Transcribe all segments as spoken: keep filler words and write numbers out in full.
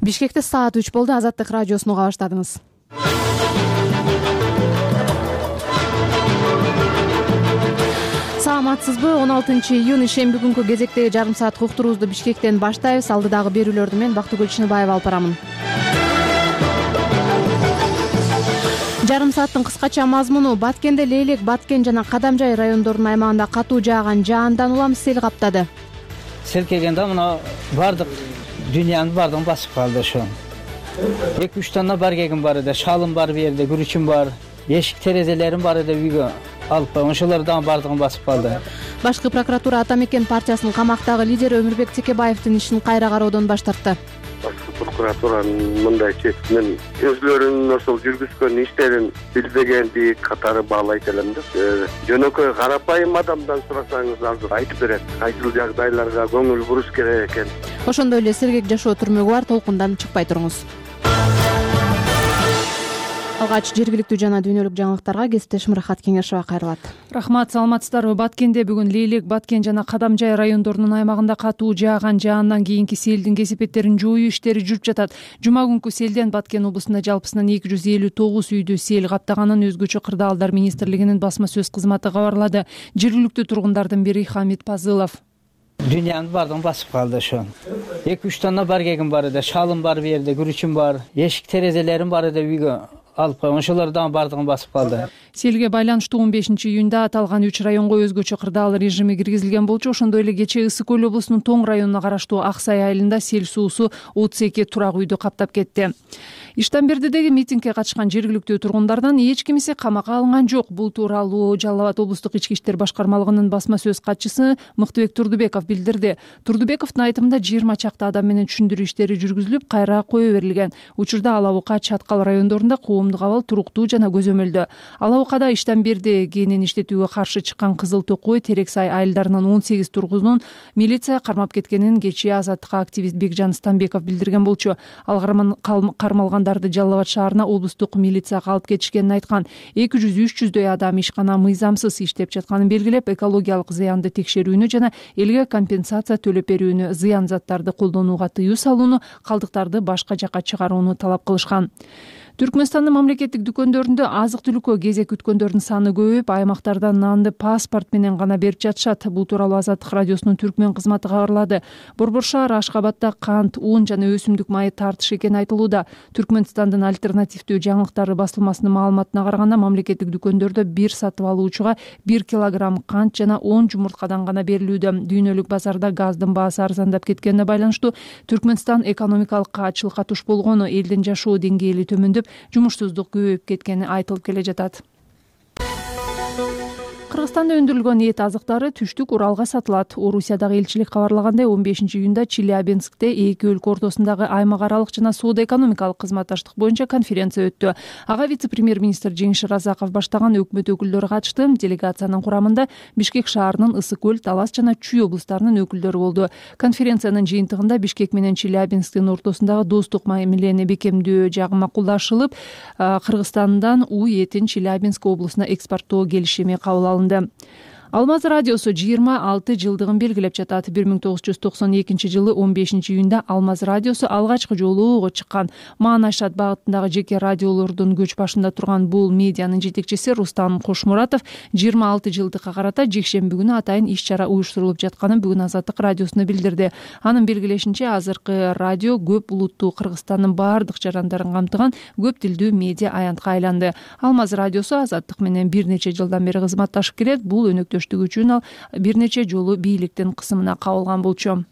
Бишкекте саат үч болду. Азаттык радиосуну уга баштадыңыз. Саламатсызбы? он алтынчы июнь ишемби күнкү кезектеги жарым сааттык уктуруубузду Бишкектен баштайбыз. Алдыдагы берүүлөрдү мен Бактыгүл Чыныбаева алып барамын. Жарым сааттын кыскача мазмуну: Баткенде Лейлек, Баткен жана Кадамжай райондорунун аймагында катуу жааган жаандан улам сел каптады. Сел келгенде мына бардык дүйнөнүн бардыгын басып калды. Ошо эки үч тонна баргегим бар эди, шалым бар, бу жерде күрүчүм бар, эшик терезелерим бар эди, үйгө алып койгон. Ошолор дагы бардыгын басып калды. Башкы прокуратура Ата Мекен партиясынын камактагы лидери Өмүрбек Текебаевдин ишин кайра кароодон баш тартты. Башкы прокуратуранын мындай чечимин өзүлөрүнүн ошол жүргүзгөн иштерин билбегенди катары баалайт элем да. Жөнөкөй карапайым адамдан сурасаңыз азыр айтып берет. Кайсыл жагдайларга көңүл буруш керек экен. Ошондой эле сергек жашоо түрмөгү бар, толкундан чыкпай туруңуз. Алгач жергиликтүү жана дүйнөлүк жаңылыктарга кесиптешим Рахат Кеңешова кайрылат. Рахмат, саламатсыздарбы? Баткенде бүгүн Лейлек, Баткен жана Кадамжай райондорунун аймагында катуу жааган жаандан кийинки селдин кесепеттерин жоюу иштери жүрүп жатат. Жума күнкү селден Баткен облусунда жалпысынан эки жүз элүү тогуз үйдү сел каптаганын өзгөчө кырдаалдар министрлигинин басма сөз кызматы кабарлады. Жергиликтүү тургундардын бири Хамит Пазылов: Дүйнөнүн бардыгын басып калды. Ошо эки үч тонна баргегим бар эди, шалым бар, бу жерде күрүчүм бар, эшик терезелерим бар эди, үйгө алып койгон. Ошолор дагы бардыгын басып калды. Селге байланыштуу он бешинчи июнда аталган үч районго өзгөчө кырдаал режими киргизилген болчу. Ошондой эле кечээ Ысык көл облусунун Тоң районуна караштуу Ак Сай айылында сел суусу отуз эки турак үйдү каптап кетти. Иштамбердидеги митингге катышкан жергиликтүү тургундардан эч кимиси камакка алынган жок. Бул тууралуу Жалал Абад облустук ички иштер башкармалыгынын басма сөз катчысы Мыктыбек Турдубеков билдирди. Турдубековдун айтымында жыйырма чакты адам менен түшүндүрүү иштери жүргүзүлүп, кайра кое берилген. Учурда Ала Бука, Чаткал райондорунда коомдук абал туруктуу жана көзөмөлдө. Ала Букада Иштамберди кенин иштетүүгө каршы чыккан Кызыл Токой, Терексай айылдарынын он сегиз тургунун милиция кармап кеткенин кечээ Азаттыкка активист Бекжан Станбеков билдирген болчу. Ал кармалган Жалал Абад шаарына облустук милицияга алып кетишкенин айткан. эки жүз үч жүздөй адам ишкана мыйзамсыз иштеп жатканын белгилеп, экологиялык зыянды текшерүүнү жана элге компенсация төлөп берүүнү, зыян заттарды колдонууга тыюу салууну, калдыктарды башка жакка чыгарууну талап кылышкан. Түркмөнстандын мамлекеттик дүкөндөрүндө азык-түлүккө кезек күткөндөрдүн саны көбөйүп, аймактарда нанды паспорт менен гана берип жатышат. Бул тууралуу Азаттык радиосунун Түркмөн кызматы кабарлады. Борбор шаар Ашкабадда кант, ун жана өсүмдүк майы тартыш экени айтылууда. Түркмөнстандын альтернативдүү жаңылыктары басылмасынын маалыматына караганда, мамлекеттик дүкөндөрдө бир сатып алуучуга бир килограмм кант жана он жумурткадан гана берилүүдө. Дүйнөлүк базарда газдын баасы арзандап кеткенине байланыштуу Түркмөнстан экономикалык каачылыкка туш болгону, элдин жашоо деңгээли төмөндөп, жумушсуздук көбөйүп кеткени айтылып келе жатат. Кыргызстанда өндүрүлгөн эт азыктары түштүк Уралга сатылат. Орусиядагы элчилик кабарлагандай, он бешинчи июнда Челябинскте эки өлкө ортосундагы аймак аралык жана соода-экономикалык кызматташтык боюнча конференция өттү. Ага вице-премьер-министр Жеңиш Разаков баштаган өкмөт өкүлдөрү катышты. Делегациянын курамында Бишкек шаарынын Ысык көл, Талас жана Чүй облустарынын өкүлдөрү болду. Конференциянын жыйынтыгында Бишкек менен Челябинсктин ортосундагы достук мамилени бекемдөө жагы макулдашылып, Кыргызстандан у этин Челябинск облусуна экспорттоо келишими кабыл алынды. Алмаз радиосу жыйырма алты жылдыгын белгилеп жатат. бир миң тогуз жүз токсон экинчи жылы он бешинчи июнда Алмаз радиосу алгачкы жолу ого чыккан. Маанайшат багытындагы жеке радиолордун көч башында турган бул медианын жетекчиси Рустам Кошмуратов жыйырма алты жылдыкка карата жекшемби күнү атайын иш-чара уюштурулуп жатканын бүгүн Азаттык радиосуна билдирди. Анын белгилешинче, азыркы радио көп улуттуу Кыргызстандын баардык жарандарын камтыган көп тилдүү медиа аянтка айланды. Алмаз радиосу Азаттык менен бир нече жылдан бери кызматташып келет. Бул өнөктөш үчүн ал бир нече жолу бийликтин кысымына кабылган болчу.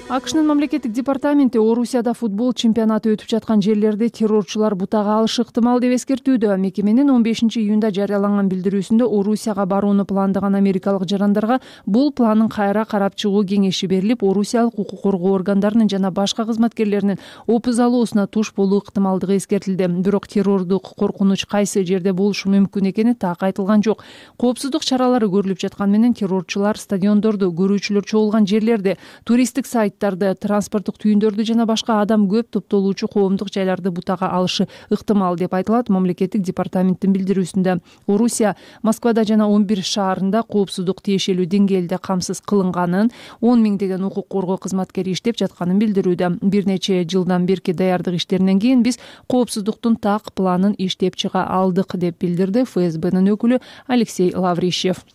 АКШнын мамлекеттик департаменти Орусияда футбол чемпионаты өтүп жаткан жерлерди террорчулар бутага алышы ыктымал деп эскертүүдө. Мекеменин он бешинчи июнда жарыяланган билдирүүсүндө Орусияга барууну пландаган америкалык жарандарга бул планын кайра карап чыгуу кеңеши берилип, орусиялык укук коргоо органдарынын жана башка кызматкерлеринин опуз алуусуна туш болуу ыктымалдыгы эскертилди. Бирок террордук коркунуч кайсы жерде болушу мүмкүн экени так айтылган жок. Коопсуздук чаралары көрүлүп жаткан менен террорчулар стадиондорду, көрүүчүлөр чогулган жерлерди, туристтик сайт маршруттарды, транспорттук түйүндөрдү жана башка адам көп топтолуучу коомдук жайларды бутага алышы ыктымал деп айтылат мамлекеттик департаменттин билдирүүсүндө. Орусия Москвада жана он бир шаарында коопсуздук тиешелүү деңгээлде камсыз кылынганын, он миңдеген укук коргоо кызматкери иштеп жатканын билдирүүдө. Бир нече жылдан берки даярдык иштеринен кийин биз коопсуздуктун так планын иштеп чыга алдык деп билдирди эф эс бнын өкүлү Алексей Лаврищев.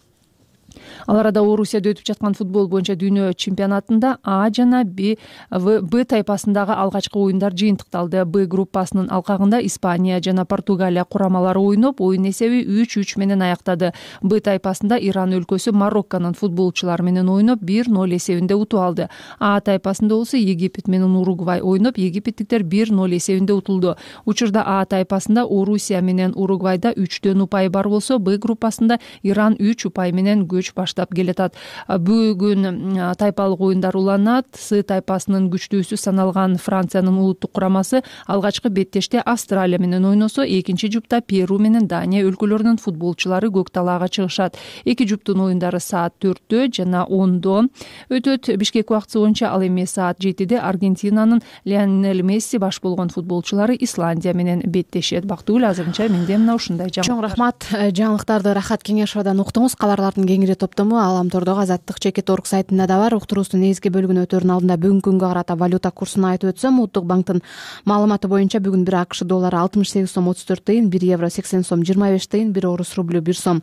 Ал арада Орусияда өтүп жаткан футбол боюнча дүйнө чемпионатында А жана Б Б тайпасындагы алгачкы оюндар жыйынтыкталды. Б группасынын алкагында Испания жана Португалия курамалары ойноп, оюн эсеби үч үч менен аяктады. Б тайпасында Иран өлкөсү Марокконун футболчулары менен ойноп бир ноль эсебинде утуп алды. А тайпасында болсо Египет менен Уругвай ойноп, египеттиктер бир ноль эсебинде утулду. Учурда А тайпасында Орусия менен Уругвайда үчтөн упай бар болсо, Б группасында Иран үч упай менен көч баштап келатат. Бүгүн тайпалык оюндар уланат. С тайпасынын күчтүүсү саналган Франциянын улуттук курамасы алгачкы беттеште Австралия менен ойносо, экинчи жупта Перу менен Дания өлкөлөрүнүн футболчулары көк талаага чыгышат. Эки жуптун оюндары саат төрттө жана ондо өтөт. Бишкек убактысы боюнча ал эми саат жетиде Аргентинанын Лионель Месси баш болгон футболчулары Исландия менен беттешет. Бактыгүл, азырынча менде мына ушундай жаңылыктар. Чоң рахмат. Жаңылыктарды Рахат Кеңешовадан уктуңуз. Каларлардын кеңири топтому Аламтордогу Азаттык чекит орг сайтында да бар. Уктуруубуздун негизги бөлүгүнө өтөрүн алдында бүгүнкү күнгө карата валюта курсун айтып өтсөм, Улуттук банктын маалыматы боюнча бүгүн бир АКШ доллары алтымыш сегиз сом отуз төрт тыйын, бир евро сексен сом жыйырма беш тыйын, бир орус рублю бир сом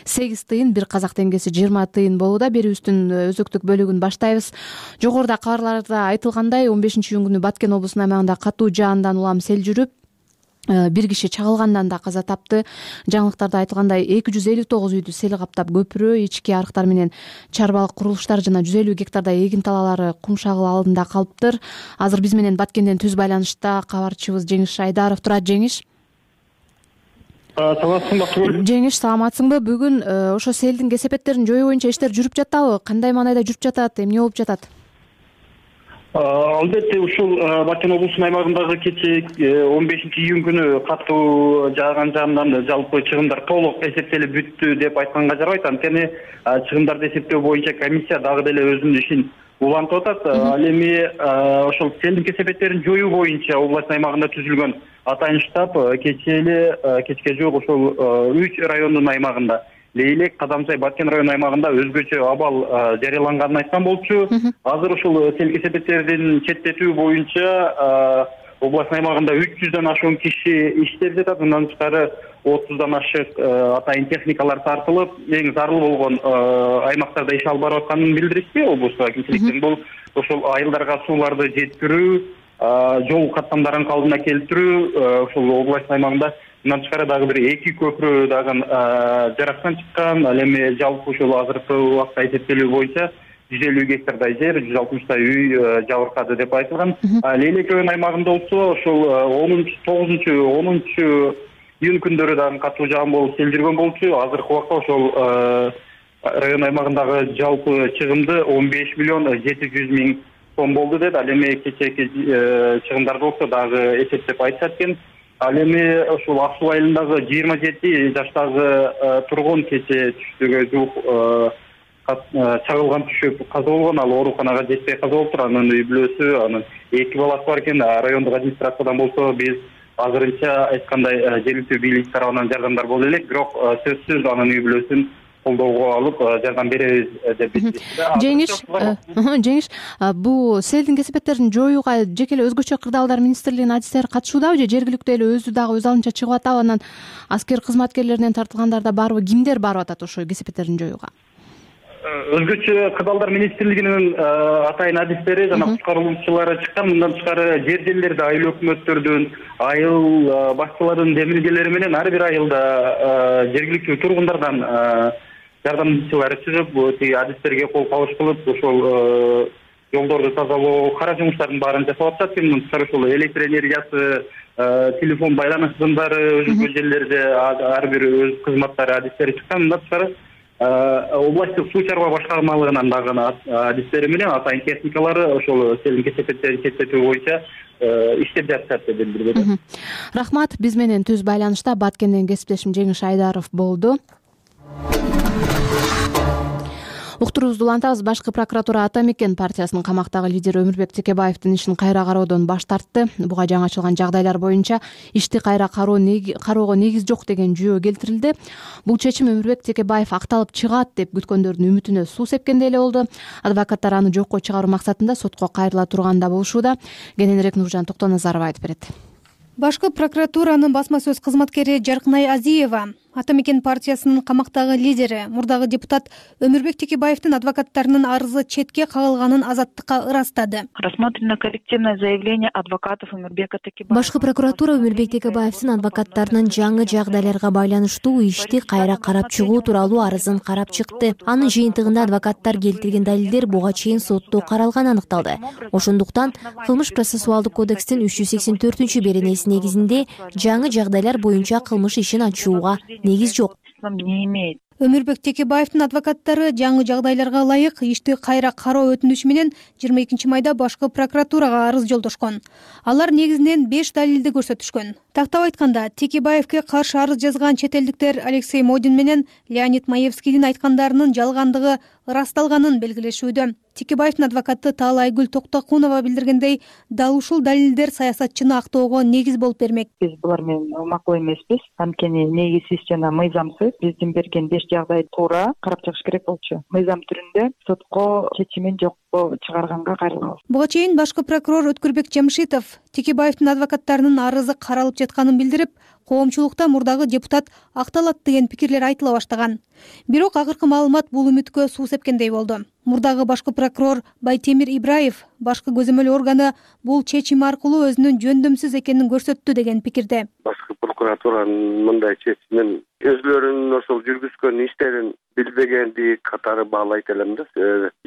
сегиз тыйын, бир казак теңгеси жыйырма тыйын болууда. Берүүбүздүн өзөктүк бөлүгүн баштайбыз. Жогоруда кабарларда айтылгандай, он бешинчи июнь күнү Баткен облусунун аймагында катуу жаандан улам сел жүрүп, бир киши чагылгандан да каза тапты. Жаңылыктарда айтылгандай эки жүз элүү тогуз үйдү сел каптап, көпүрө, ички арыктар менен чарбалык курулуштар жана жүз элүү гектардай эгин талаалары кум шагыл алдында калыптыр. Азыр биз менен Баткенден түз байланышта кабарчыбыз Жеңиш Айдаров турат. Жеңиш, саламатсыңбы? Жеңиш, саламатсыңбы? Бүгүн ошо селдин кесепеттерин жоюу боюнча иштер жүрүп жатабы? Кандай маанайда жүрүп жатат? Эмне болуп жатат? Албетте, ушул Баткен облусунун аймагындагы кечээ он бешинчи июнь күнү катуу жааган жаандан жалпы чыгымдар толук эсептелип бүттү деп айтканга жарабайт. Анткени чыгымдарды эсептөө боюнча комиссия дагы деле өзүнүн ишин улантып атат. Ал эми ошол селдин кесепеттерин жоюу боюнча областын аймагында түзүлгөн атайын штаб кечээ эле кечке жок ошол үч райондун аймагында Лейлек, Кадамсай, Баткен районунун аймагында өзгөчө абал жарыяланганын айткан болчу. Азыр ушул сел кесепеттердин четтетүү боюнча областын аймагында үч жүздөн ашуун киши иштеп жатат. Мындан тышкары отуздан ашык атайын техникалар тартылып, эң зарыл болгон аймактарда иш алып барып атканын билдиришти. Облустук акимчиликтин бул ошол айылдарга сууларды жеткирүү, жол каттамдарын калыбына келтирүү, ошол областын аймагында мындан тышкары дагы бир эки көпүрө дагы жарактан чыккан. Ал эми жалпы ушул азыркы убакта эсептелүү боюнча жүз элүү гектардай жер, жүз алтымыштай үй жабыркады деп айтылган. Лейлек район аймагында болсо ошол онунчу, тогузунчу, онунчу июнь күндөрү дагы катуу жаан болуп сел жүргөн болчу. Азыркы убакта ошол район аймагындагы жалпы чыгымды он беш миллион жети жүз миң сом болду деп. Ал эми кечээки чыгымдарды болсо дагы эсептеп айтышат экен. Ал эми ошол Ак суу айылындагы жыйырма жети жаштагы тургун кечээ түштүгө жуук чагылган түшүп каза болгон. Ал ооруканага жетпей каза болуптур. Анын үй бүлөсү, анын эки баласы бар экен. Райондук администрациядан болсо биз азырынча айткандай жергиликтүү бийлик тарабынан жардамдар боло элек, бирок сөзсүз анын үй бүлөсүн колдоого алып жардам беребиз деп билдирди. Жеңиш, Жеңиш, бул селдин кесепеттерин жоюуга жеке эле өзгөчө кырдаалдар министрлигинин адистери катышуудабы же жергиликтүү эле өзү дагы өз алдынча чыгып атабы? Анан аскер кызматкерлеринен тартылгандар да барбы? Кимдер барып атат ошо кесепеттерин жоюуга? Өзгөчө кырдаалдар министрлигинин атайын адистери жана куткаруучулары чыккан. Мындан тышкары жер жерлерде айыл өкмөттөрдүн, айыл башчыларынын демилгелери менен ар бир айылда жергиликтүү тургундардан жардамчылары чыгып, тиги адистерге кол кабыш кылып, ошол жолдорду тазалоо, кара жумуштардын баарын жасап атышат. Мындан тышкары ошол электр энергиясы, телефон байланыш сымдары өзгө жерлерде ар бир өз кызматтары адистери чыккан. Мындан тышкары областтык суу чарба башкармалыгынан дагы адистери менен атайын техникалары ошол селдин кесепеттерин четтетүү боюнча иштеп жатышат деп билдирди. Рахмат. Биз менен түз байланышта Баткенден кесиптешим Жеңиш Айдаров болду. уктуруубузду улантабыз. Башкы прокуратура Ата Мекен партиясынын камактагы лидери Өмүрбек Текебаевдин ишин кайра кароодон баш тартты. Буга жаңы ачылган жагдайлар боюнча ишти кайра кароого негиз жок деген жүйө келтирилди. Бул чечим Өмүрбек Текебаев акталып чыгат деп күткөндөрдүн үмүтүнө суу сепкендей эле болду. Адвокаттар аны жокко чыгаруу максатында сотко кайрыла турганда болушууда. Кененирээк Нуржан Токтоназарова айтып берет. Башкы прокуратуранын басма сөз кызматкери Жаркынай Азиева Ата Мекен партиясынын камактагы лидери, мурдагы депутат Өмүрбек Текебаевдин адвокаттарынын арызы четке кагылганын Азаттыкка ырастады. Рассмотрено коллективное заявление адвокатов Өмүрбека Текебаева. Башкы прокуратура Өмүрбек Текебаевдин адвокаттарынын жаңы жагдайларга байланыштуу ишти кайра карап чыгуу тууралуу арызын карап чыкты. Анын жыйынтыгында адвокаттар келтирген далилдер буга чейин сотто каралганы аныкталды. Ошондуктан кылмыш процессуалдык кодекстин үч жүз сексен төртүнчү беренеси негизинде жаңы жагдайлар боюнча кылмыш ишин ачууга негиз жок. Не имеет. Өмүрбек Текебаевдин адвокаттары жаңы жагдайларга ылайык ишти кайра кароо өтүнүшү менен жыйырма экинчи майда башкы прокуратурага арыз жолдошкон. Алар негизинен беш далилди көрсөтүшкөн. Тактап айтканда, Текебаевге каршы арыз жазган чет элдиктер Алексей Модин менен Леонид Маевскийдин айткандарынын жалгандыгы ырасталганын белгилешүүдө. Текебаевдин адвокаты Таала Айгүл Токтокунова билдиргендей, дал ушул далилдер саясатчыны актоого негиз болуп бермек. Биз булар менен макул эмеспиз. Анткени негизсиз жана мыйзамсыз биздин берген беш жагдай туура карап чыгыш керек болчу. Мыйзам түрүндө сотко чечимин жокко чыгарганга кайрылабыз. Буга чейин башкы прокурор Өткүрбек Жамшитов Текебаевдин адвокаттарынын арызы каралып жатканын билдирип, коомчулукта мурдагы депутат акталат деген пикирлер айтыла баштаган. Бирок акыркы маалымат бул үмүткө суу сепкендей болду. Мурдагы башкы прокурор Байтемир Ибраев башкы көзөмөл органы бул чечим аркылуу өзүнүн жөндөмсүз экенин көрсөттү деген пикирде. Башкы прокуратуранын мындай чечимин өзүлөрүнүн ошол жүргүзгөн иштерин билбегенди катары баалайт элем да.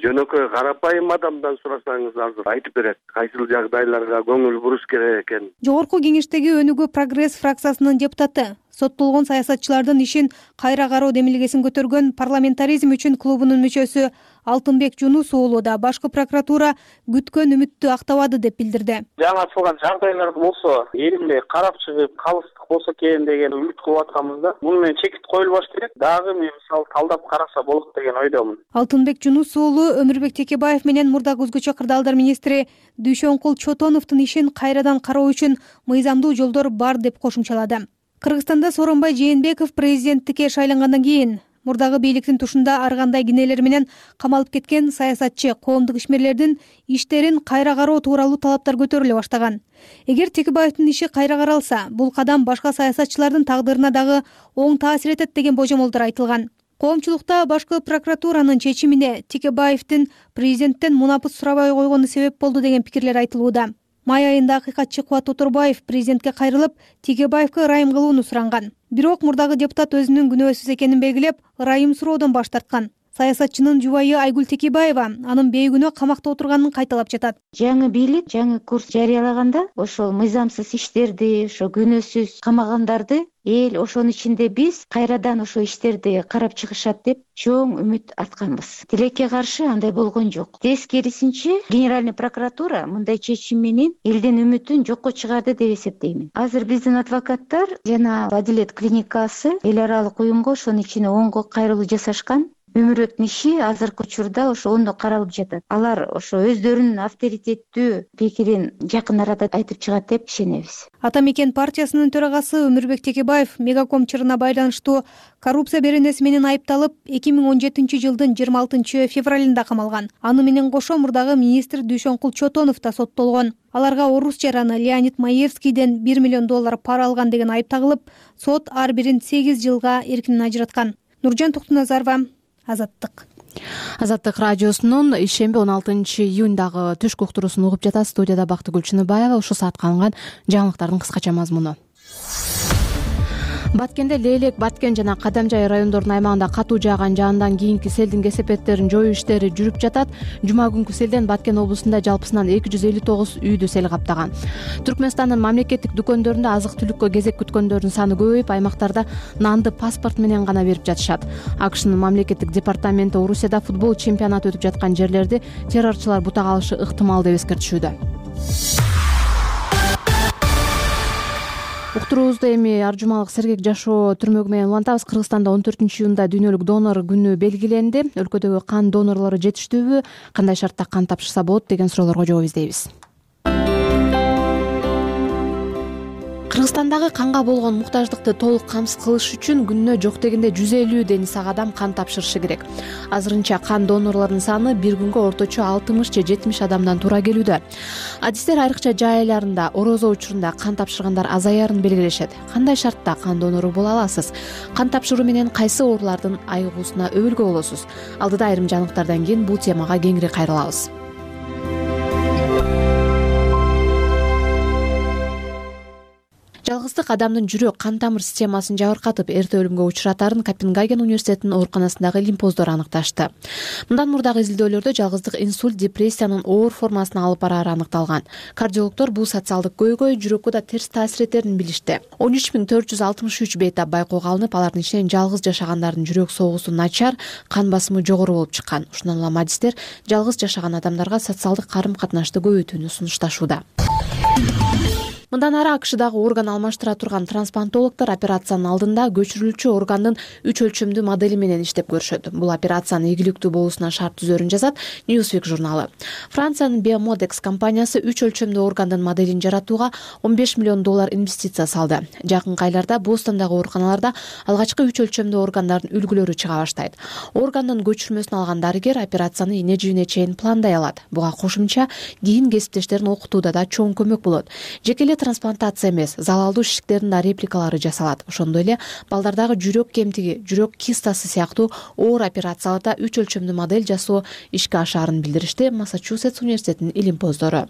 Жөнөкөй карапайым адамдан сурасаңыз азыр айтып берет кайсыл жагдайларга көңүл буруш керек экен. Жогорку кеңештеги Өнүгүү Прогресс фракциясынын депутаты, соттолгон саясатчылардын ишин кайра кароо демилгесин көтөргөн Парламентаризм үчүн клубунун мүчөсү Алтынбек Жунус уулу да башкы прокуратура күткөн үмүттү актабады деп билдирди. Жаңы ачылган жагдайлар болсо, элимде карап чыгып калыстык болсо экен деген үмүт кылып атканбыз да. Муну менен чекит коюлбаш керек. Дагы мен мисалы талдап караса болот деген ойдомун. Алтынбек Жунус уулу Өмүрбек Текебаев менен мурдагы өзгөчө кырдаалдар министри Дүйшөнкул Чотоновдун ишин кайрадан кароо үчүн мыйзамдуу жолдор бар деп кошумчалады. Кыргызстанда Сооронбай Жээнбеков президенттикке шайлангандан кийин мурдагы бийликтин тушунда ар кандай кинелер менен камалып кеткен саясатчы, коомдук ишмерлердин иштерин кайра кароо тууралуу талаптар көтөрүлө баштаган. Эгер Текебаевдин иши кайра каралса, бул кадам башка саясатчылардын тагдырына дагы оң таасир этет деген божомолдор айтылган. Коомчулукта башкы прокуратуранын чечимине Текебаевдин президенттен мунапыт сурабай койгону себеп болду деген пикирлер айтылууда. Май айында акыйкатчы Кубат Оторбаев президентке кайрылып, Текебаевге ырайым кылууну суранган. Бирок мурдагы депутат өзүнүн күнөөсүз экенин белгилеп, ырайым суроодон баш тарткан. Саясатчынын жубайы Айгүл Текебаева анын бейгүнөө камакта отурганын кайталап жатат. Жаңы бийлик жаңы курс жарыялаганда ошол мыйзамсыз иштерди, ошо күнөөсүз камагандарды эл ошонун ичинде биз кайрадан ошо иштерди карап чыгышат деп чоң үмүт артканбыз. Тилекке каршы андай болгон жок. Тескерисинче, Генеральный прокуратура мындай чечим менен элдин үмүтүн жокко чыгарды деп эсептеймин. Азыр биздин адвокаттар жана Адилет клиникасы эл аралык уюмга ошонун ичине оңго кайрылуу жасашкан. Өмүрбектин иши азыркы учурда ошо ондо каралып жатат. Алар ошо өздөрүнүн авторитеттүү пикирин жакын арада айтып чыгат деп ишенебиз. Ата Мекен партиясынын төрагасы Өмүрбек Текебаев Мегаком чырына байланыштуу коррупция беренеси менен айыпталып, эки миң он жетинчи жылдын жыйырма алтынчы февралында камалган. Аны менен кошо мурдагы министр Дүйшөнкул Чотонов да соттолгон. Аларга орус жараны Леонид Маевскийден бир миллион доллар пара алган деген айып тагылып, сот ар бирин сегиз жылга эркинен ажыраткан. Нуржан Токтоназарова, Азаттык. Азаттык радиосунун ишемби он алтынчы июндагы түшкү уктуруусун угуп жатат. Студияда Бактыгүл Чыныбаева. Ушул саатка алынган жаңылыктардын кыскача мазмуну. Баткенде Лейлек, Баткен жана Кадамжай райондорунун аймагында катуу жааган жаандан кийинки селдин кесепеттерин жоюу иштери жүрүп жатат. Жума күнкү селден Баткен облусунда жалпысынан эки жүз элүү тогуз үйдү сел каптаган. Түркмөнстандын мамлекеттик дүкөндөрүндө азык-түлүккө кезек күткөндөрдүн саны көбөйүп, аймактарда нанды паспорт менен гана берип жатышат. АКШнын мамлекеттик департаменти Орусияда футбол чемпионаты өтүп жаткан жерлерди террорчулар бутак алышы ыктымал деп эскертишүүдө. уктуруубузду эми ар жумалык сергек жашоо түрмөгү менен улантабыз. Кыргызстанда он төртүнчү июнда дүйнөлүк донор күнү белгиленди. Өлкөдөгү кан донорлору жетиштүүбү, кандай шартта кан тапшырса болот деген суроолорго жооп издейбиз. Кыргызстандагы канга болгон муктаждыкты толук камсыз кылыш үчүн күнүнө жок дегенде жүз элүү дени сак адам кан тапшырышы керек. Азырынча кан донорлорунун саны бир күнгө орточо алтымыш же жетимиш адамдан туура келүүдө. Адистер айрыкча жай айларында, орозо учурунда кан тапшыргандар азаярын белгилешет. Кандай шартта кан донору боло аласыз? Кан тапшыруу менен кайсы оорулардын айыгуусуна өбүлгө болосуз? Алдыда айрым жаңылыктардан кийин бул темага кеңири кайрылабыз. Жалгыздык адамдын жүрөк кан тамыр системасын жабыркатып, эрте өлүмгө учуратарын Копенгаген университетинин ооруканасындагы лимпоздор аныкташты. Мындан мурдагы изилдөөлөрдө жалгыздык инсульт, депрессиянын оор формасына алып барары аныкталган. Кардиологдор бул социалдык көйгөй жүрөккө да терс таасир этерин билишти. он үч миң төрт жүз алтымыш үч бейтап байкоого алынып, алардын ичинен жалгыз жашагандардын жүрөк согуусу начар, кан басымы жогору болуп чыккан. Ушундан улам адистер жалгыз жашаган адамдарга социалдык карым-катнашты көбөйтүүнү сунушташууда. Мындан ары АКШдагы орган алмаштыра турган трансплантологдор операциянын алдында көчүрүлчү органдын үч өлчөмдүү модели менен иштеп көрүшөт. Бул операциянын ийгиликтүү болуусуна шарт түзөрүн жазат Newsweek журналы. Франциянын Biomodex компаниясы үч өлчөмдүү органдын моделин жаратууга он беш миллион доллар инвестиция салды. Жакынкы айларда Бостондагы ооруканаларда алгачкы үч өлчөмдүү органдардын үлгүлөрү чыга баштайт. Органдын көчүрмөсүн алган дарыгер операцияны эне жибине чейин пландай алат. Буга кошумча кийин кесиптештерин окутууда да чоң көмөк болот. Жеке трансплантация эмес, залалдуу шишиктердин да репликалары жасалат. Ошондой эле балдардагы жүрөк кемтиги, жүрөк кистасы сыяктуу оор операцияларда үч өлчөмдүү модель жасоо ишке ашаарын билдиришти Массачусетс университетинин илимпоздору.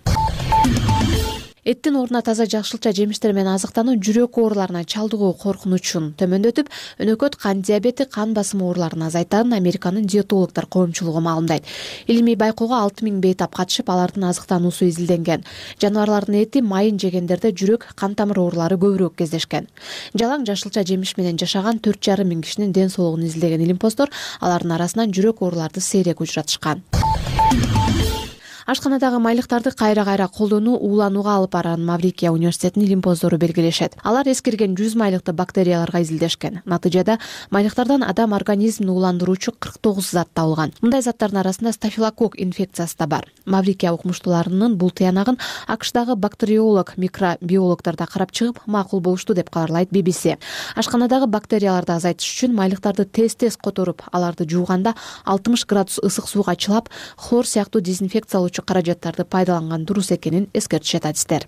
Эттин ордуна таза жакшылча жемиштер менен азыктануу жүрөк ооруларына чалдыгуу коркунучун төмөндөтүп, өнөкөт кан диабети, кан басымы ооруларын азайтарын Американын диетологдор коомчулугу маалымдайт. Илимий байкоого алты миң бейтап катышып, алардын азыктануусу изилденген. Жаныбарлардын эти, майын жегендерде жүрөк, кан тамыр оорулары көбүрөөк кездешкен. Жалаң жашылча жемиш менен жашаган төрт жарым миң кишинин ден соолугун изилдеген илимпоздор алардын арасынан жүрөк ооруларды сейрек учуратышкан. Ашканадагы майлыктарды кайра-кайра колдонуу ууланууга алып барарын Маврикия университетинин илимпоздору белгилешет. Алар эскирген жүз майлыкты бактерияларга изилдешкен. Натыйжада майлыктардан адам организмин ууландыруучу кырк тогуз зат табылган. Мындай заттардын арасында стафилококк инфекциясы да бар. Маврикия укмуштууларынын бул тыянагын АКШдагы бактериолог, микробиологдор да карап чыгып, макул болушту деп кабарлайт би би си. Ашканадагы бактерияларды азайтыш үчүн майлыктарды тез-тез которуп, аларды жууганда алтымыш градус ысык сууга чылап, хлор сыяктуу дезинфекциялоочу каражаттарды пайдаланган дурус экенин эскертишет адистер.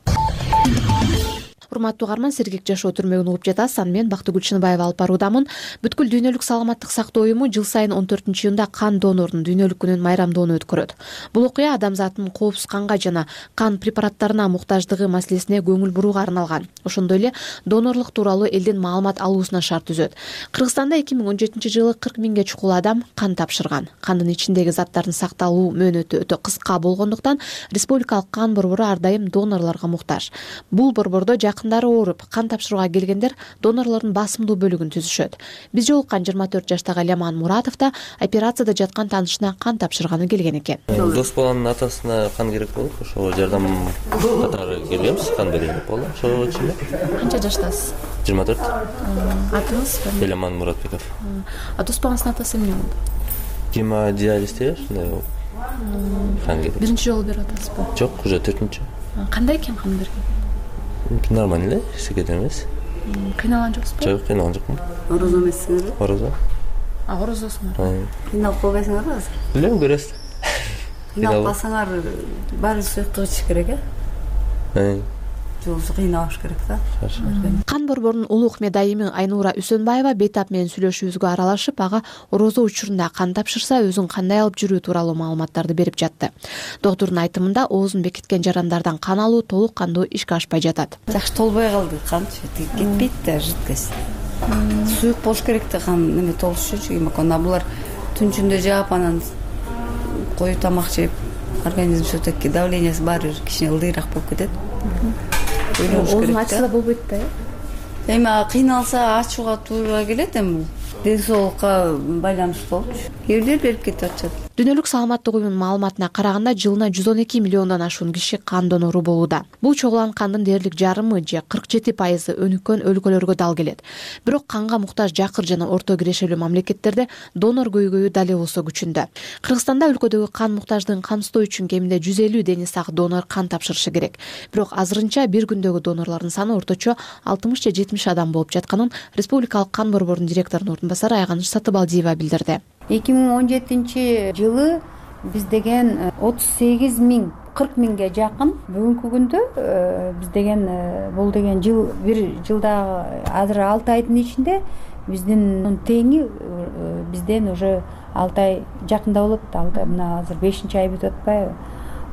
Урматтуу угарман, сергек жашоо түрмөгүн угуп жатасыз. Аны мен Бактыгүл Чыныбаева алып баруудамын. Бүткүл дүйнөлүк саламаттык сактоо уюму жыл сайын он төртүнчү июнда кан донорунун дүйнөлүк күнүн майрамдоону өткөрөт. Бул окуя адамзаттын коопсуз канга жана кан препараттарына муктаждыгы маселесине көңүл бурууга арналган. Ошондой эле донорлук тууралуу элдин маалымат алуусуна шарт түзөт. Кыргызстанда эки миң он жетинчи жылы кырк миңге чукул адам кан тапшырган. Кандын ичиндеги заттардын сакталуу мөөнөтү өтө кыска болгондуктан республикалык кан борбору ар дайым донорлорго муктаж. Бул борбордо жакындары ооруп, кан тапшырууга келгендер донорлордун басымдуу бөлүгүн түзүшөт. Биз жолуккан жыйырма төрт жаштагы Ляман Муратов да операцияда жаткан таанышына кан тапшырганы келген экен. Дос баланын атасына кан керек болуп, ошого жардам катары келгенбиз, кан берели деп болду. Ошого үчүн. Канча жаштасыз? жыйырма төрт. Атыңыз? Ляман Муратбеков. А дос балаңыздын атасы эмне болду? Гемодиализде ушундай болуп. Кан керек. Биринчи жолу берип атасызбы? Жок, уже төртүнчү. Кандай экен кан берген? Нормально эле, эчтеке эмес. Кыйналган жоксузбу? Жок, кыйналган жокмун. Орозо эмессиңерби? Орозо. А, орозосуңар. Кыйналып калбайсыңарбы азыр? Билем, көрөсүз. Кыйналып калсаңар баары суюктук ичиш керек, э? Жолсу кыйналыш керек да. Кан борборунун улук медайими Айнура Үсөнбаева бейтап менен сүйлөшүүбүзгө аралашып, ага орозо учурунда кан тапшырса өзүн кандай алып жүрүү тууралуу маалыматтарды берип жатты. Доктурдун айтымында оозун бекиткен жарандардан кан алуу толук кандуу ишке ашпай жатат. Жакшы толбой калды, кан кетпейт да, жидкость. Суюк болуш керек да, кан неме толуш үчүн. Ана булар түн ичинде жаап, анан кою тамак жеп, организм все-таки давлениясы баары бир кичине ылдыйраак болуп кетет. Оозун ачса да болбойт да, э? Эми кыйналса ачууга туура келет, эми ден соолукка байланыштуу болчу. Кээ бирлер берип кетип атышат. Дүйнөлүк саламаттык уюмунун маалыматына караганда жылына жүз он эки миллиондон ашуун киши кан донору болууда. Бул чогулган кандын дээрлик жарымы же кырк жети пайызы өнүккөн өлкөлөргө дал келет. Бирок канга муктаж жакыр жана орто кирешелүү мамлекеттерде донор көйгөйү дал болсо күчүндө. Кыргызстанда өлкөдөгү кан муктаждыгын камсыздоо үчүн кеминде жүз элүү дени сак донор кан тапшырышы керек. Бирок азырынча бир күндөгү донорлордун саны орточо алтымыш же жетимиш адам болуп жатканын Республикалык кан борборунун директорунун ордун басары Айганыч Сатыбалдиева билдирди. эки миң он жетинчи жылы биз деген отуз сегиз миң кырк миңге жакын, бүгүнкү күндө биз деген бул деген жыл бир жылдагы азыр алты айдын ичинде биздин теңи бизден уже алты ай жакында болот. Алты мына азыр бешинчи ай бүтүп атпайбы?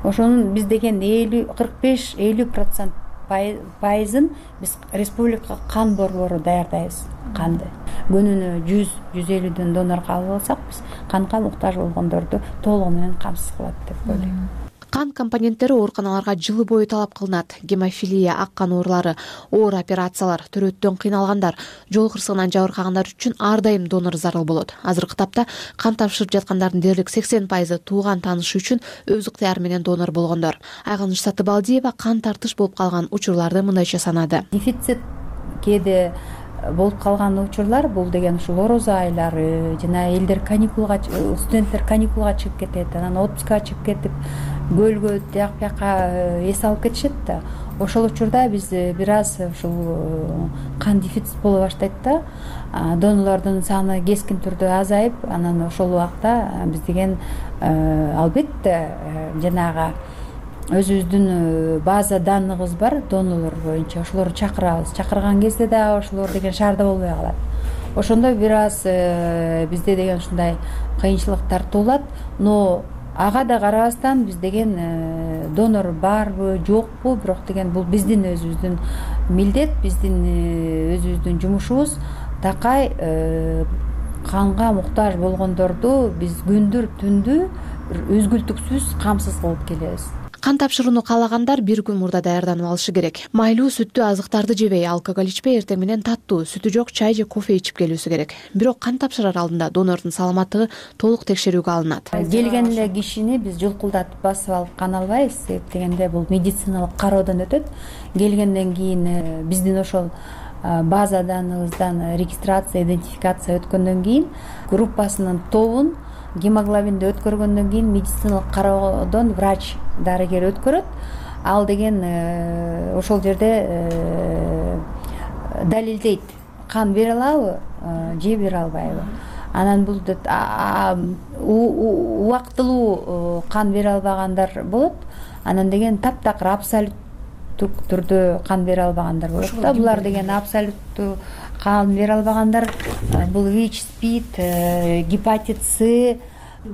Ошонун биз деген элүү кырк беш элүү процент пайызын биз республика кан борбору даярдайбыз канды. Күнүнө жүз жүз элүүдөн донор кабыл алсак, биз канга муктаж болгондорду толугу менен камсыз кылат деп ойлойм. Кан компоненттери ооруканаларга жылы бою талап кылынат. Гемофилия, ак кан оорулары, оор операциялар, төрөттөн кыйналгандар, жол кырсыгынан жабыркагандар үчүн ар дайым донор зарыл болот. Азыркы тапта кан тапшырып жаткандардын дээрлик сексен пайызы тууган таанышы үчүн өз ыктыяры менен донор болгондор. Айганыч Сатыбалдиева кан тартыш болуп калган учурларды мындайча санады. Дефицит кээде болуп калган учурлар бул деген ушул орозо айлары жана элдер каникулга, студенттер каникулга чыгып кетет, анан отпускка чыгып кетип көлгө тияк бияка эс алып кетишет да. Ошол учурда биз бир аз ушул кан дефицит боло баштайт да. Донорлордун саны кескин түрдө азайып, анан ошол убакта биз деген албетте жанагы өзүбүздүн база данныгыбыз бар донорлор боюнча, ошолорду чакырабыз. Чакырган кезде дагы ошолор деген шаарда болбой калат. Ошондо бир аз бизде деген ушундай кыйынчылыктар туулат, но ага да карабастан биз деген донор барбы, жокпу, бирок деген бул биздин өзүбүздүн милдет, биздин өзүбүздүн жумушубуз. Такай канга муктаж болгондорду биз күндүр түндү үзгүлтүксүз камсыз кылып келебиз. Кан тапшырууну каалагандар бир күн мурда даярданып алышы керек. Майлуу, сүттүү азыктарды жебей, алкоголь ичпей, эртең менен таттуу, сүтү жок чай же кофе ичип келүүсү керек. Бирок кан тапшырар алдында донордун саламаттыгы толук текшерүүгө алынат. Келген эле кишини биз жулкулдатып басып алып кан албайбыз, себеп дегенде бул медициналык кароодон өтөт. Келгенден кийин биздин ошол база данныгыбыздан регистрация, идентификация өткөндөн кийин группасынын тобун гемоглобинди өткөргөндөн кийин медициналык кароодон врач, дарыгер өткөрөт. Ал деген ошол жерде далилдейт, кан бере алабы же бере албайбы. Анан бул убактылуу кан бере албагандар болот. Анан деген таптакыр абсолюттук түрдө кан бере албагандар болот да. Булар деген абсолюттуу кан бере албагандар бул ВИЧ, СПИД, гепатит С,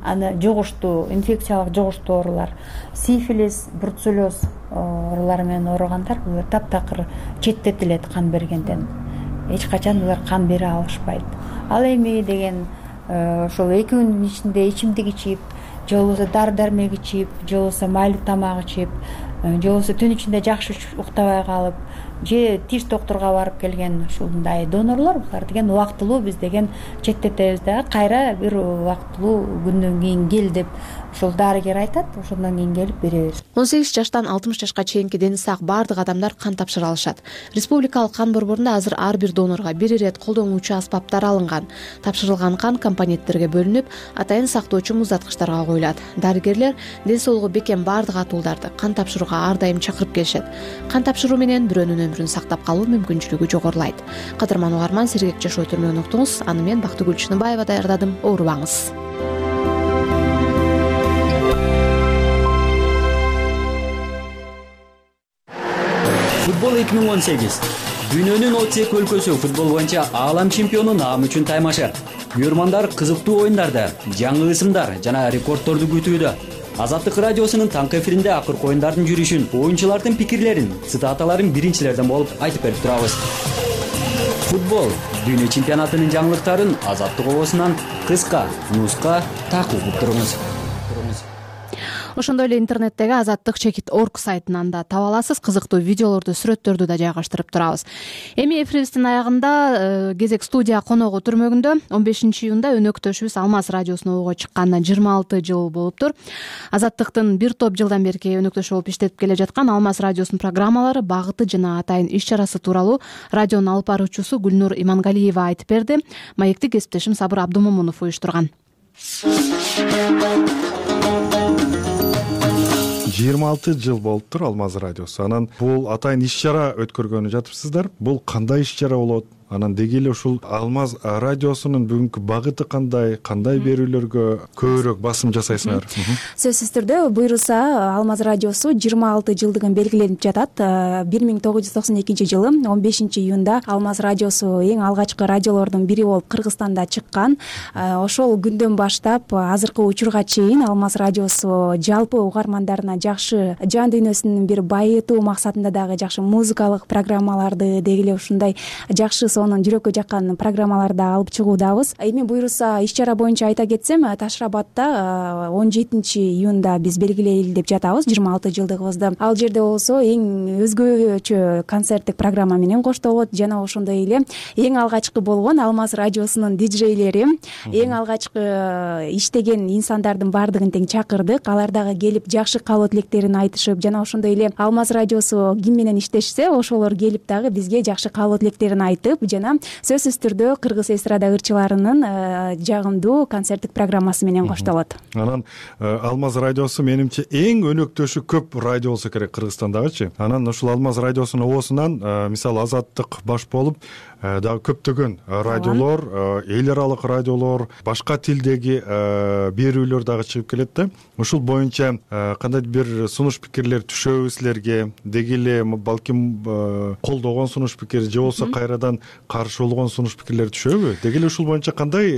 аны жугуштуу, инфекциялык жугуштуу оорулар, сифилис, бруцеллез оорулары менен ооругандар булар таптакыр четтетилет кан бергенден. Эч качан булар кан бере алышпайт. Ал эми деген ошол эки күндүн ичинде ичимдик ичип, же болбосо дары дармек ичип, же болбосо майлуу тамак ичип, же болбосо түн ичинде жакшы уктабай калып, же тиш доктурга барып келген ушундай донорлор, булар деген убактылуу биз деген четтетебиз да, кайра бир убактылуу күндөн кийин кел деп ошол дарыгер айтат, ошондон кийин келип беребиз. он сегиз жаштан алтымыш жашка чейинки дени сак баардык адамдар кан тапшыра алышат. Республикалык кан борборунда азыр ар бир донорго бир ирет колдонуучу аспаптар алынган. Тапшырылган кан компоненттерге бөлүнүп, атайын сактоочу муздаткычтарга коюлат. Дарыгерлер ден соолугу бекем баардык атуулдарды кан тапшырууга ар дайым чакырып келишет. Кан тапшыруу менен бирөөнүн өмүрүн сактап калуу мүмкүнчүлүгү жогорулайт. Кадырман угарман, сергек жашоо түрмөгүн уктуңуз. Аны мен Бактыгүл Чыныбаева даярдадым. Оорубаңыз. Футбол эки миң он сегиз. Дүйнөнүн отуз эки өлкөсү футбол боюнча аалам чемпиону наам үчүн таймашар. Көрөрмандар кызыктуу оюндарды, жаңы ысымдар жана рекордторду күтүүдө. Азаттык радиосунун таңкы эфиринде акыркы оюндардын жүрүшүн, оюнчулардын пикирлерин, цитаталарын биринчилерден болуп айтып берип турабыз. Футбол дүйнө чемпионатынын жаңылыктарын Азаттык обосунан кыска, нуска такып угуп туруңуз. ошондой эле интернеттеги азаттык чекит точка орг сайтынан да таба аласыз. Кызыктуу видеолорду, сүрөттөрдү да жайгаштырып турабыз. Эми эфирибиздин аягында кезек студия коногу түрмөгүндө. он бешинчи июнда өнөктөшүбүз Алмаз радиосуна ого чыкканына жыйырма алты жыл болуптур. Азаттыктын бир топ жылдан берки өнөктөшү болуп иштетип келе жаткан Алмаз радиосунун программалары, багыты жана атайын иш-чарасы тууралуу радионун алып баруучусу Гүлнур Имангалиева айтып берди. Маекти кесиптешим Сабыр Абдумомунов уюштурган. жыйырма алты жыл болуптур Алмаз радиосу. Анан бул атайын иш-чара өткөргөнү жатыпсыздар. Бул кандай иш-чара болот? Анан деги эле ушул Алмаз радиосунун бүгүнкү багыты кандай, кандай берүүлөргө көбүрөөк басым жасайсыңар? Сөзсүз түрдө буйруса Алмаз радиосу жыйырма алты жылдыгын белгиленип жатат. бир миң тогуз жүз токсон экинчи жылы он бешинчи июнда Алмаз радиосу эң алгачкы радиолордун бири болуп Кыргызстанда чыккан. Ошол күндөн баштап азыркы учурга чейин Алмаз радиосу жалпы угармандарына жакшы жан дүйнөсүн бир байытуу максатында дагы жакшы музыкалык программаларды, деги эле ушундай жакшы сонун жүрөккө жаккан программаларды алып чыгуудабыз. Эми буйруса иш-чара боюнча айта кетсем, Ташрабадта он жетинчи июнда биз белгилейли деп жатабыз жыйырма алты жылдыгыбызды. Ал жерде болсо эң өзгөчө концерттик программа менен коштолот жана ошондой эле эң алгачкы болгон Алмаз радиосунун диджейлери, эң алгачкы иштеген инсандардын баардыгын тең чакырдык. Алар дагы келип жакшы каалоо тилектерин айтышып, жана ошондой эле Алмаз радиосу ким менен иштешсе, ошолор келип дагы бизге жакшы каалоо тилектерин айтып, жана сөзсүз түрдө кыргыз эстрада ырчыларынын жагымдуу концерттик программасы менен коштолот. Анан Алмаз радиосу менимче эң өнөктөшү көп радио болсо керек Кыргызстандагычы. Анан ушул Алмаз радиосунун оосунан мисалы Азаттык баш болуп дагы көптөгөн радиолор, эл аралык радиолор, башка тилдеги берүүлөр дагы чыгып келет да. Ушул боюнча кандайдыр бир сунуш пикирлер түшөбү силерге? Деги эле балким колдогон сунуш пикир же болбосо кайрадан каршы болгон сунуш пикирлер түшөбү? Деги эле ушул боюнча кандай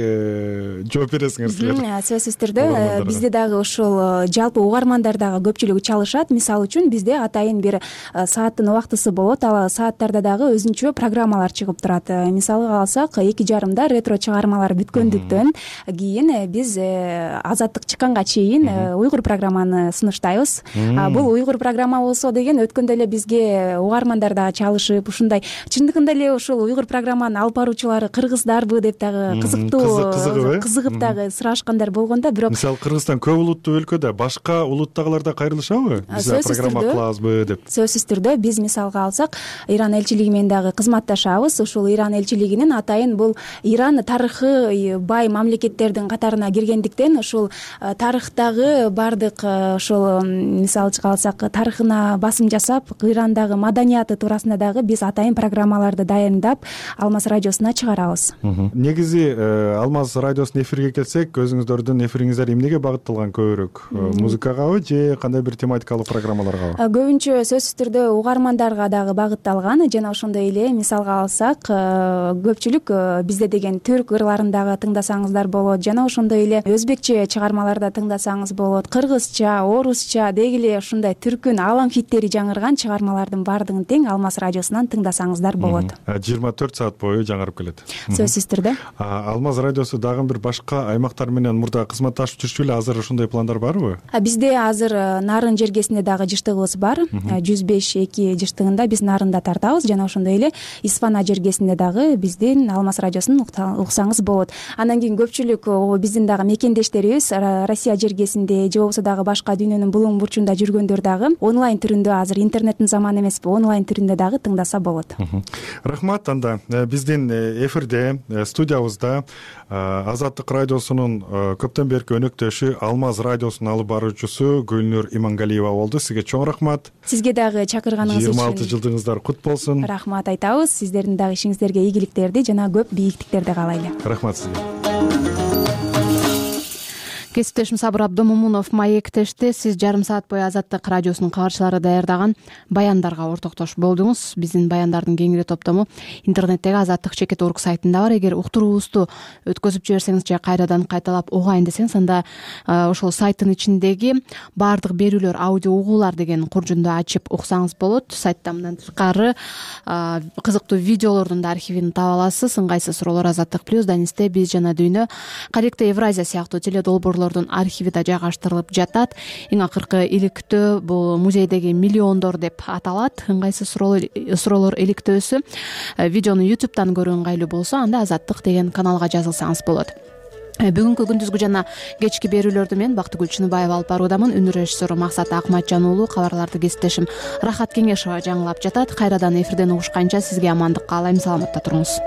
жооп бересиңер силер? Сөзсүз түрдө бизде дагы ушул жалпы угармандар дагы көпчүлүгү чалышат. Мисалы үчүн бизде атайын бир сааттын убактысы болот. Ал сааттарда дагы өзүнчө программалар чыгып турат. Мисалга алсак, эки жарымда ретро чыгармалар бүткөндүктөн кийин биз Азаттык чыкканга чейин уйгур программаны сунуштайбыз. Бул уйгур программа болсо деген өткөндө эле бизге угармандар дагы чалышып, ушундай чындыгында эле ушул уйгур программанын алып баруучулары кыргыздарбы деп дагы кызыктуу кызыгып дагы сурашкандар болгондо, бирок мисалы Кыргызстан көп улуттуу өлкөдө башка улуттагылар да кайрылышабы? Биз программа кылабызбы деп? Сөзсүз түрдө биз мисалга алсак, Иран элчилиги менен дагы кызматташабыз. Ушул Иран элчилигинин атайын бул Иран тарыхы бай мамлекеттердин катарына киргендиктен ушул тарыхтагы бардык ошол мисалы алсак тарыхына басым жасап, Ирандагы маданияты туурасында дагы биз атайын программаларды дайындап Алмаз радиосуна чыгарабыз. Негизи Алмаз радиосунун эфирге келсек, өзүңүздөрдүн эфириңиздер эмнеге багытталган көбүрөөк? Музыкагабы же кандай бир тематикалык программаларгабы? Көбүнчө сөзсүз түрдө угармандарга дагы багытталган, жана ошондой эле мисалга алсак, көпчүлүк бизде деген түрк ырларын дагы тыңдасаңыздар болот, жана ошондой эле өзбекче чыгармаларды тыңдасаңыз болот, кыргызча, орусча, деги эле ушундай түркүн алам хиттери жаңырган чыгармалардын баардыгын тең Алмаз радиосунан тыңдасаңыздар болот. жыйырма төрт саат бою жаңырып келет. Сөзсүз түрдө. Алмаз радиосу дагы бир башка аймактар менен мурда кызматташып жүрчү беле? Азыр ошондой пландар барбы? Бизде азыр Нарын жергесинде дагы жыштыгыбыз бар. жүз беш эки жыштыгында биз Нарында тартабыз, жана ошондой эле Исфана жергесинде дагы биздин Алмаз радиосун уксаңыз болот. Андан кийин көпчүлүк биздин дагы мекендештерибиз Россия жергесинде же болбосо дагы башка дүйнөнүн булуң бурчунда жүргөндөр дагы онлайн түрүндө, азыр интернеттин заманы эмеспи, онлайн түрүндө дагы тыңдаса болот. Рахмат. Анда биздин эфирде, студиябызда Азаттык радиосунун көптөн берки өнөктөшү, Алмаз радиосунун алып баруучусу Гүлнур Имангалиева болду. Сизге чоң рахмат. Сизге дагы чакырганыңыз үчүн жыйырма алты жылдыгыңыздар кут болсун. Рахмат айтабыз. Сиздердин дагы ишиңиздерге ийгиликтерди жана көп бийиктиктерди каалайлы. Рахмат сизге. Кесиптешим Сабыр Абдумомунов маектешти. Сиз жарым саат бою Азаттык радиосунун кабарчылары даярдаган баяндарга ортоктош болдуңуз. Биздин баяндардын кеңири топтому интернеттеги азаттык чекит точка орг сайтында бар. Эгер уктуруубузду өткөзүп жиберсеңиз же кайрадан кайталап угайын десеңиз, анда ошол сайттын ичиндеги баардык берүүлөр, аудио угуулар деген куржунду ачып уксаңыз болот. Сайтта мындан тышкары кызыктуу видеолордун да архивин таба аласыз. Ыңгайсыз суроолор Азаттык плюс, Данисте, Биз жана дүйнө, Каректе Евразия сыяктуу теледолбоорлор учурлордун архиви да жайгаштырылып жатат. Эң акыркы иликтөө бул музейдеги миллиондор деп аталат. Ыңгайсыз суроолор иликтөөсү. Видеону ютубтан көрүү ыңгайлуу болсо, анда Азаттык деген каналга жазылсаңыз болот. Бүгүнкү күндүзгү жана кечки берүүлөрдү мен Бактыгүл Чыныбаева алып баруудамын. Үнү режиссеру Максат Акматжан уулу, кабарларды кесиптешим Рахат Кеңешова жаңылап жатат. Кайрадан эфирден угушканча сизге амандык каалайм. Саламатта туруңуз.